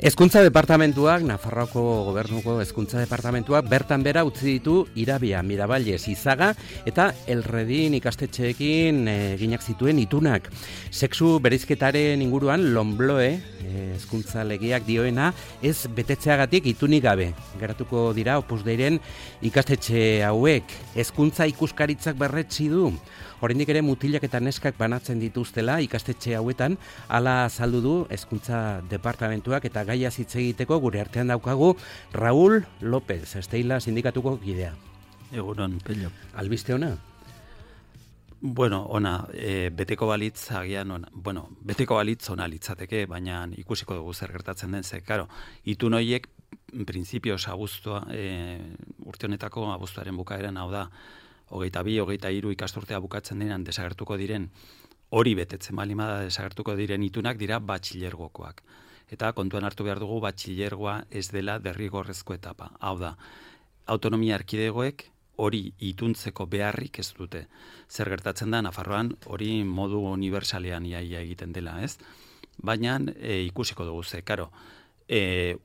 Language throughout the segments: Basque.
Hezkuntza departamentuak, Nafarroako gobernuko hezkuntza departamentuak bertan bera utzi ditu Irabia, Miravalles, Izaga eta Elredin ikastetxeekin eginak zituen itunak. Sexu bereizketaren inguruan Lonbloe hezkuntza legeak dioena ez betetzeagatik itunik gabe. Geratuko dira Opus Deiren ikastetxe hauek. Hezkuntza ikuskaritzak berretsi du. Oraindik ere mutilak eta neskak banatzen dituztela ikastetxe hauetan, hala azaldu du hezkuntza departamentuak eta gaia hitz egiteko gure artean daukagu Raúl López, Esteila sindikatuko kidea. Egunon, Pello. Albiste ona? Bueno, ona, beteko balitz agian ona. Bueno, beteko balitz ona litzateke, baina ikusiko dugu zer gertatzen den ze. Claro, itun horiek printzipioz abuztua, urte honetako abuztuaren bukaeran, hau da, 22, 23 ikasturtea bukatzen denean desagertuko diren, hori betetzen balimada desagertuko diren itunak dira batxilergokoak. Eta kontuan hartu behar dugu batxilergoa ez dela derrigorrezko etapa. Hau da, autonomia erkidegoek hori ituntzeko beharrik ez dute. Zer gertatzen da, Nafarroan hori modu universalean iaia egiten dela, ez? Baina ikusiko dugu ze, karo,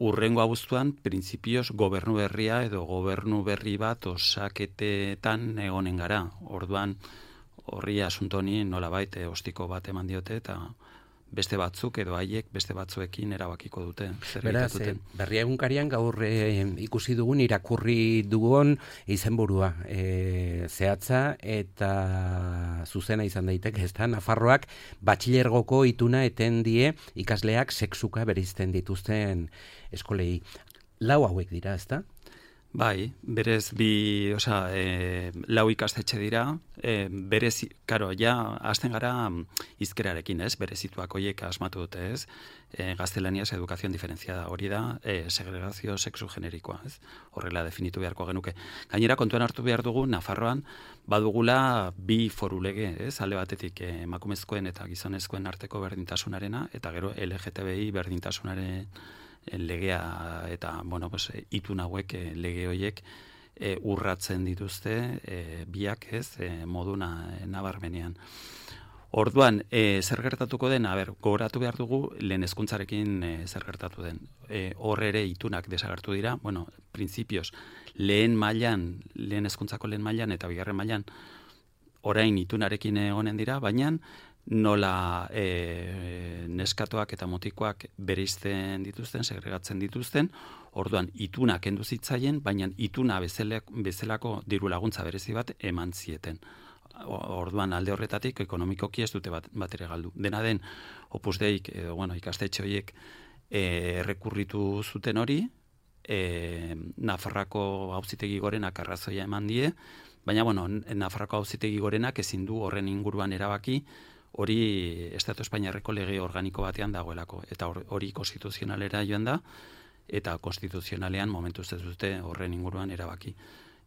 urrengo abuztuan, printzipioz, gobernu berria edo gobernu berri bat osaketetan egonen gara. Orduan, horri asuntoni nolabait ostiko bat eman diote eta beste batzuk edo haiek beste batzuekin erabakiko dute. Beraz, Berria egunkarian gaur ikusi dugun irakurri dugun izenburua zehatza eta zuzena izan daiteke, ezta? Nafarroak batxilergoko ituna eten die ikasleak sexuka bereizten dituzten eskolei. 4 hauek dira, ezta? Bai, berez lau ikastetxe dira, berez, karo, ja, hasten gara hizkerarekin, ez, berezituak horiek asmatu dute, ez, gaztelaniaz edukazion diferentziada, hori da, segregazio sexu generikoa, ez, horrela definitu beharko genuke. Gainera, kontuan hartu behar dugu, Nafarroan, badugula 2 foru lege, ez, alde batetik emakumezkoen eta gizonezkoen arteko berdintasunarena, eta gero LGTBI berdintasunaren legea eta, itun hauek lege horiek urratzen dituzte biak ez moduna nabarmenean. Orduan, zer gertatuko den, gogoratu behar dugu lehen hezkuntzarekin zer gertatu den. Hor ere itunak desagertu dira, printzipioz, lehen hezkuntzako lehen mailan eta bigarren mailan orain itunarekin egonen dira, baina nola neskatoak eta mutikoak bereizten dituzten, segregatzen dituzten, orduan ituna kendu zitzaien, baina ituna bezalako diru laguntza berezi bat eman zieten. Orduan alde horretatik ekonomikoki ez dute bat ere galdu. Dena den, Opus Deik, ikastetxe horiek errekurritu zuten hori, Nafarroako Auzitegi Gorenak arrazoia eman die, baina Nafarroako Auzitegi Gorenak ezin du horren inguruan erabaki, hori Estatu Espainiarreko lege organiko batean dagoelako, eta hori konstituzionalera joan da, eta konstituzionalean momentuz ez dute horren inguruan erabaki.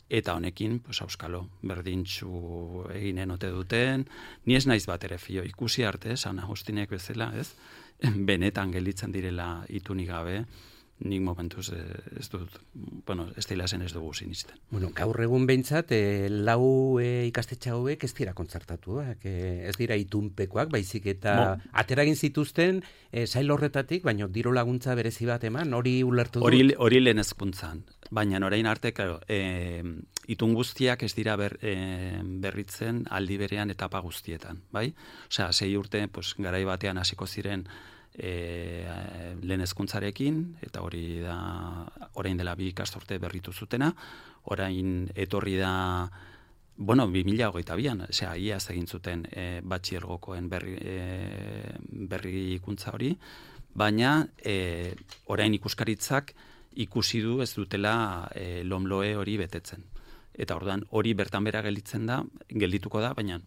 Eta honekin, auskalo, berdintxu eginen ote duten, ni ez naiz bat ere fio, ikusi arte, San Agustinek bezala, ez? Benetan gelditzen direla itunik gabe, nik momentuz ez dut, Esteila zen ez dugu sinisten. Gaur egun behintzat, 4 ikastetxe hauek ez dira kontzertatuak, ez dira itunpekoak, baizik eta ateragin zituzten sail horretatik, baina diru laguntza berezi bat eman, hori ulertu dut? Hori lehen hezkuntzan, baina orain arte, itun guztiak ez dira berritzen aldi berean etapa guztietan, bai? Osea, 6 urte, garai batean hasiko ziren lehen hezkuntzarekin, eta hori da orain dela 2 ikasturte berritu zutena, orain etorri da 2022an, iaz egin zuten batxilergokoen berrikuntza hori, baina orain ikuskaritzak ikusi du ez dutela Lonbloe hori betetzen. Eta orduan hori bertan bera geldituko da, baina,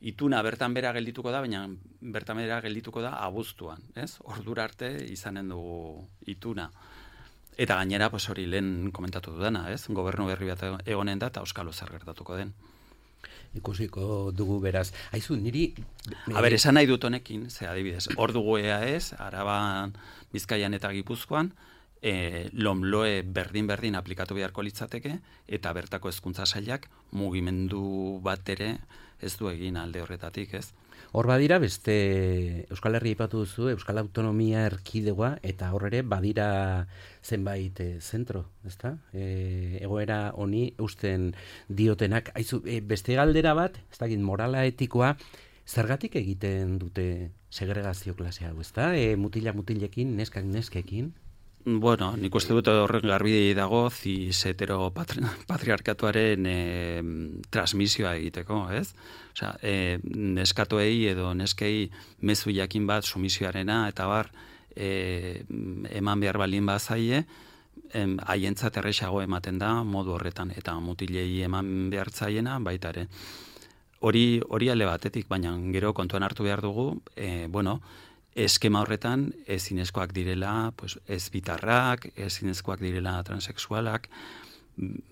ituna bertan bera geldituko da, baina bertan bera geldituko da abuztuan, ez? Ordura arte izanen dugu ituna. Eta gainera, hori lehen komentatu dudana, ez? Gobernu berri bat egonen da, eta auskalo zer gertatuko den. Ikusiko dugu beraz. Aizu, niri... esan nahi dut honekin, ze adibidez, hor dugu EAEZ, Araban, Bizkaian eta Gipuzkoan, lomloe berdin aplikatu beharko litzateke, eta bertako hezkuntza sailak mugimendu bat ere ez du egin alde horretatik, ez? Hor badira, beste Euskal Herria aipatu duzu, Euskal Autonomia Erkidegoa, eta hor ere badira zenbait zentro, ezta? Egoera honi eusten diotenak. Aizu, beste galdera bat, ez dakit, morala etikoa, zergatik egiten dute segregazio klase hau, ezta? Mutilekin, neskak neskekin? Bueno, nik uste dut horren garbi dago cis-hetero patriarkatuaren transmisioa egiteko, ez? Osea, neskatoei edo neskei mezu jakin bat sumisioarena eta bar eman behar balin bazaie, haientzat erresago ematen da modu horretan, eta mutilei eman behar zaiena baita ere. Hori alde batetik, baina gero kontuan hartu behar dugu, eskema horretan ezinezkoak direla, pues, ez bitarrak, ezinezkoak direla transexualak,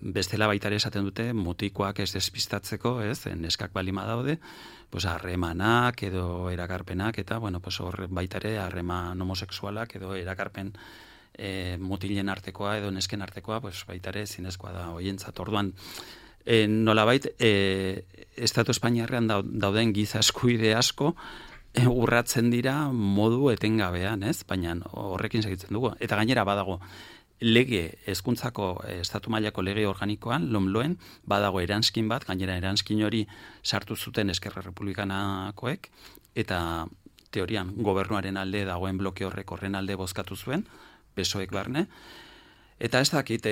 bestela baita ere esaten dute mutikoak ez despistatzeko, ez, neskak balima daude, pues, harremanak edo erakarpenak, eta pues, hor baita ere harreman homosexualak edo erakarpen mutilen artekoa edo nesken artekoa, pues, baita ere ezinezkoa da hoientzat. Orduan, nolabait, Estatu Espainiarrean dauden giza eskubide asko, urratzen dira modu etengabean, ez? Baina horrekin segitzen dugu. Eta gainera badago, hezkuntzako estatu mailako lege organikoan, lomloen, badago eranskin bat, gainera eranskin hori sartu zuten Eskerra Republikanakoek, eta teorian gobernuaren alde dagoen bloke horren alde bozkatu zuen, PSOEk barne, eta ez dakit,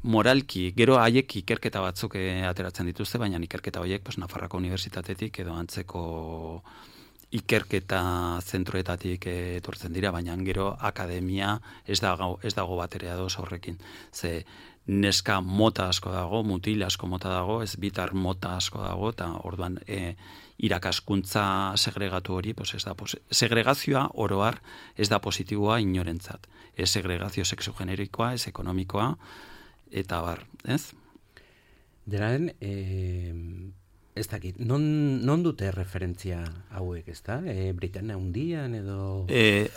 moralki, gero haiek ikerketa batzuk ateratzen dituzte, baina ikerketa horiek Nafarroako Unibertsitatetik edo antzeko ikerketa zentroetatik etortzen dira, baina gero akademia ez dago bat ere ados horrekin. Ze neska mota asko dago, mutil asko mota dago, ez bitar mota asko dago, eta orduan irakaskuntza segregatu hori, ez da segregazioa oroar ez da positiboa inorentzat. Ez segregazio sexogenerikoa, ez ekonomikoa, eta bar, ez? Denaren, ez dakit, non dute referentzia hauek, ez da? Britania Handian edo...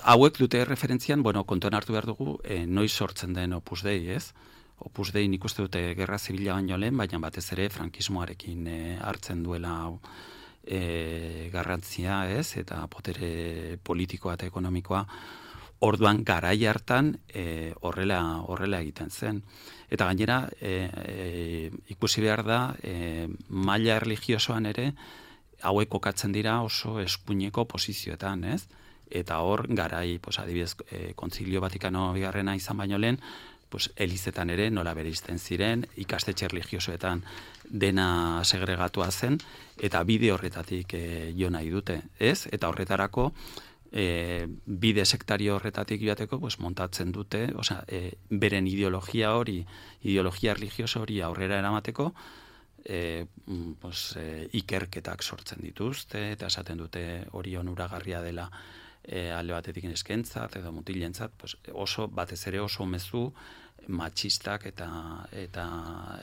Hauek dute referentzian, kontuan hartu behar dugu, noiz sortzen den Opus Dei, ez? Opus Dei nik uste dute Gerra Zibila baino lehen, baina batez ere frankismoarekin hartzen duela garrantzia, ez? Eta potere politikoa eta ekonomikoa, orduan garai hartan horrela egiten zen. Eta gainera, ikusi behar da, maila erlijiosoan ere, hauek kokatzen dira oso eskuineko posizioetan, ez? Eta hor, garai, adibidez, Kontzilio Vatikano bigarrena izan baino lehen, elizetan ere nola bereizten ziren, ikastetxe erlijiosoetan dena segregatua zen, eta bide horretatik jo nahi dute, ez? Eta horretarako, bide sektario horretatik joateko, montatzen dute, beren ideologia erlijioso hori aurrera eramateko, ikerketak sortzen dituzte, eta esaten dute hori onuragarria dela alde batetik neskentzat edo mutilentzat, oso batez ere oso mezu matxistak eta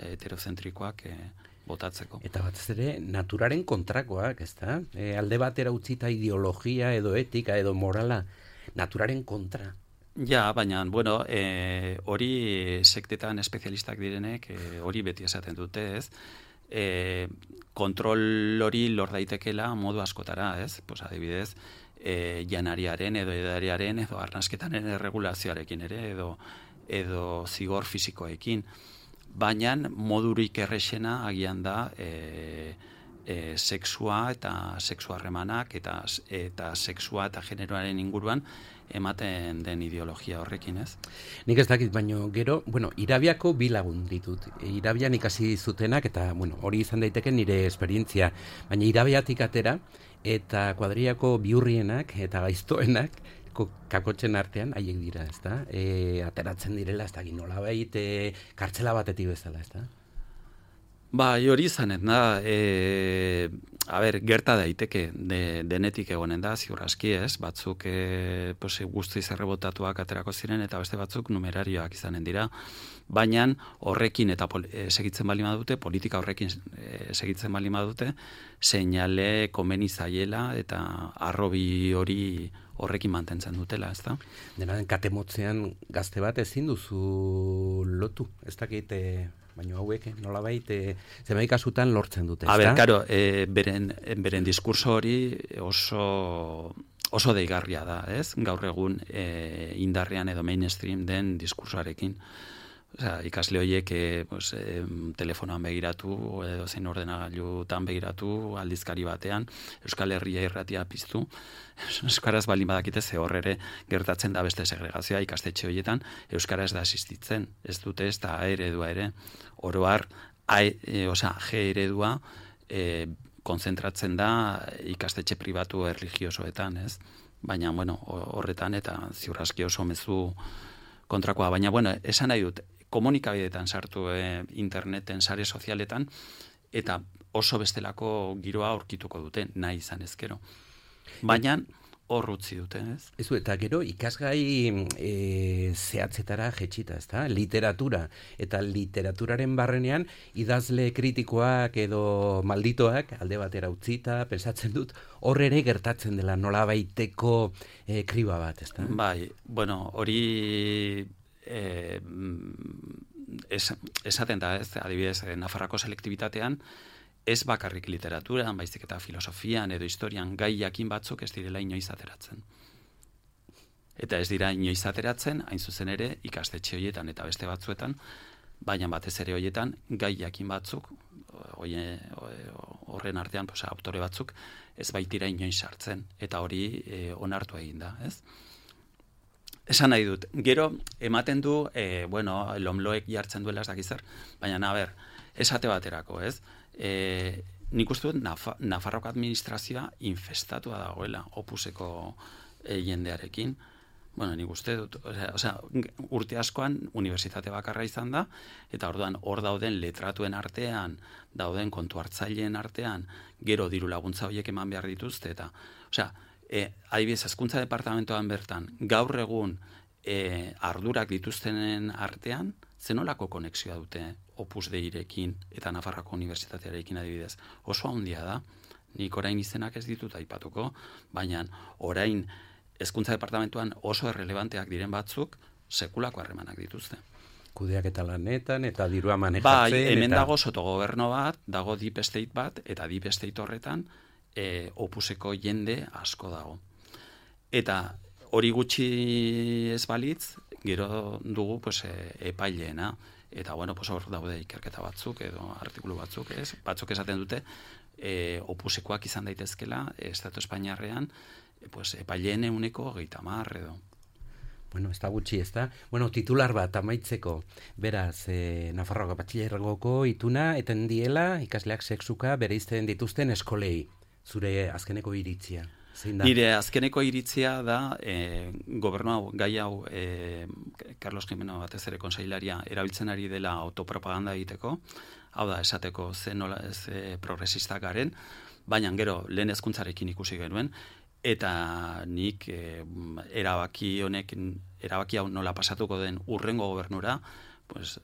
heterozentrikoak botatzeko. Eta batez ere naturaren kontrakoak, ezta? Alde batera utzita ideologia edo etika edo morala naturaren kontra. Ja, baina, hori sektetan espezialistak direnek hori beti esaten dute, ez? Kontrol hori lor daitekela modu askotara, ez? Adibidez, janariaren edo edariaren edo arnasketaren erregulazioarekin ere edo zigor fisikoekin. Baina modurik errexena agian da sexua eta sexu harremanak eta sexua eta generoaren inguruan ematen den ideologia horrekin, ez? Nik ez dakit, baino gero, Irabiako bi lagun ditut. Irabian ikasi zutenak, eta hori izan daiteke nire esperientzia, baina Irabiatik atera, eta kuadriako biurrienak eta gaiztoenak kakotzen artean haiek dira, ezta? Ateratzen direla, ez da, nolabait kartzela batetik bezala, ezta? Bai, hori izanen da, gerta daiteke, denetik egonen da, ziur aski ez, batzuk guztiz errebotatuak aterako ziren, eta beste batzuk numerarioak izanen dira, baina horrekin eta segitzen bali madute, politika horrekin segitzen bali madute, seinale komeni zaiela eta arrobi hori horrekin mantentzen dutela, ez da? Dena den katemotzean gazte bat ezin duzu lotu, ez dakit... baina hauek nolabait zenbait kasutan lortzen dute, ezta? Karo, beren diskurso hori oso deigarria da, ez? Gaur egun indarrean edo mainstream den diskursoarekin. Osea, ikasle horiek telefonoan begiratu edo zein ordenagailutan begiratu aldizkari batean Euskal Herria irratia piztu. Euskaraz baldin badakite ze hor ere gertatzen da beste segregazioa ikastetxe horietan euskara ez da existitzen. Ez dute ez da A eredua ere. Oro har G eredua konzentratzen da ikastetxe pribatu erlijiosoetan, ez? Baina horretan eta ziur aski oso mezu kontrakoa, baina esan nahi dut komunikabideetan sartu interneten, sare sozialetan, eta oso bestelako giroa aurkituko dute, nahi izan ezkero. Baina hor utzi dute, ez? Ezu, eta gero ikasgai zehatzetara jetxita, ezta? Literatura. Eta literaturaren barrenean idazle kritikoak edo malditoak alde batera utzita, pensatzen dut, hor ere gertatzen dela nolabaiteko kriba bat, ezta? Bai, hori esaten da, ez, adibidez, Nafarroako selektibitatean, ez bakarrik literaturan, baizik eta filosofian edo historian gai jakin batzuk ez direla inoiz ateratzen. Eta ez dira inoiz ateratzen, hain zuzen ere, ikastetxe horietan eta beste batzuetan, baina batez ere horietan gai jakin batzuk, horren artean, autore batzuk, ez baitira inoiz sartzen, eta hori onartu egin da, ez? Esan nahi dut, gero ematen du, lomloek jartzen duela ez dakizar, baina esate baterako, ez? Nik uste dut Nafarroko administrazioa infestatua dagoela opuseko jendearekin. Nik uste dut, urte askoan unibertsitate bakarra izan da, eta orduan hor dauden letratuen artean, dauden kontu hartzaileen artean, gero diru laguntza horiek eman behar dituzte, eta, adibidez, hezkuntza departamentoan bertan, gaur egun ardurak dituztenen artean, zenolako konexioa dute Opus Deirekin eta Nafarroako Unibertsitatearekin adibidez. Oso handia da, nik orain izenak ez ditut aipatuko, baina orain hezkuntza departamentuan oso errelevanteak diren batzuk sekulako harremanak dituzte. Kudeak eta lanetan eta dirua manejatzen. Bai, hemen dago sotogoberno bat, dago deep state bat, eta deep state horretan opuseko jende asko dago. Eta hori gutxi ez balitz, gero dugu epaileena. Eta hor daude ikerketa batzuk edo artikulu batzuk, ez? Batzuk esaten dute opusekoak izan daitezkela Estatu Espainiarrean epaileen 30% edo. Ez da gutxi, ez da? Titular bat amaitzeko, beraz, Nafarroako Batxilergoko ituna eten diela ikasleak sexuka bereizten dituzten eskolei. Zure azkeneko iritzia. Nire azkeneko iritzia da gobernu gai hau Carlos Jimeno batez ere konseilaria erabiltzen ari dela autopropaganda egiteko, hau da esateko ze progresista garen, baina gero lehen hezkuntzarekin ikusi genuen, eta nik erabaki hau nola pasatuko den hurrengo gobernura,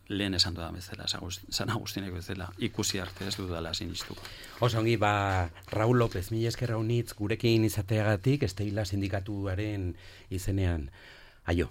lehen esan dudan bezala, San Agustineko bezala, ikusi arte ez dudala sinistuko. Oso ongi, Raúl López, mila esker raunitz gurekin izateagatik, Esteila sindikatuaren izenean. Aio.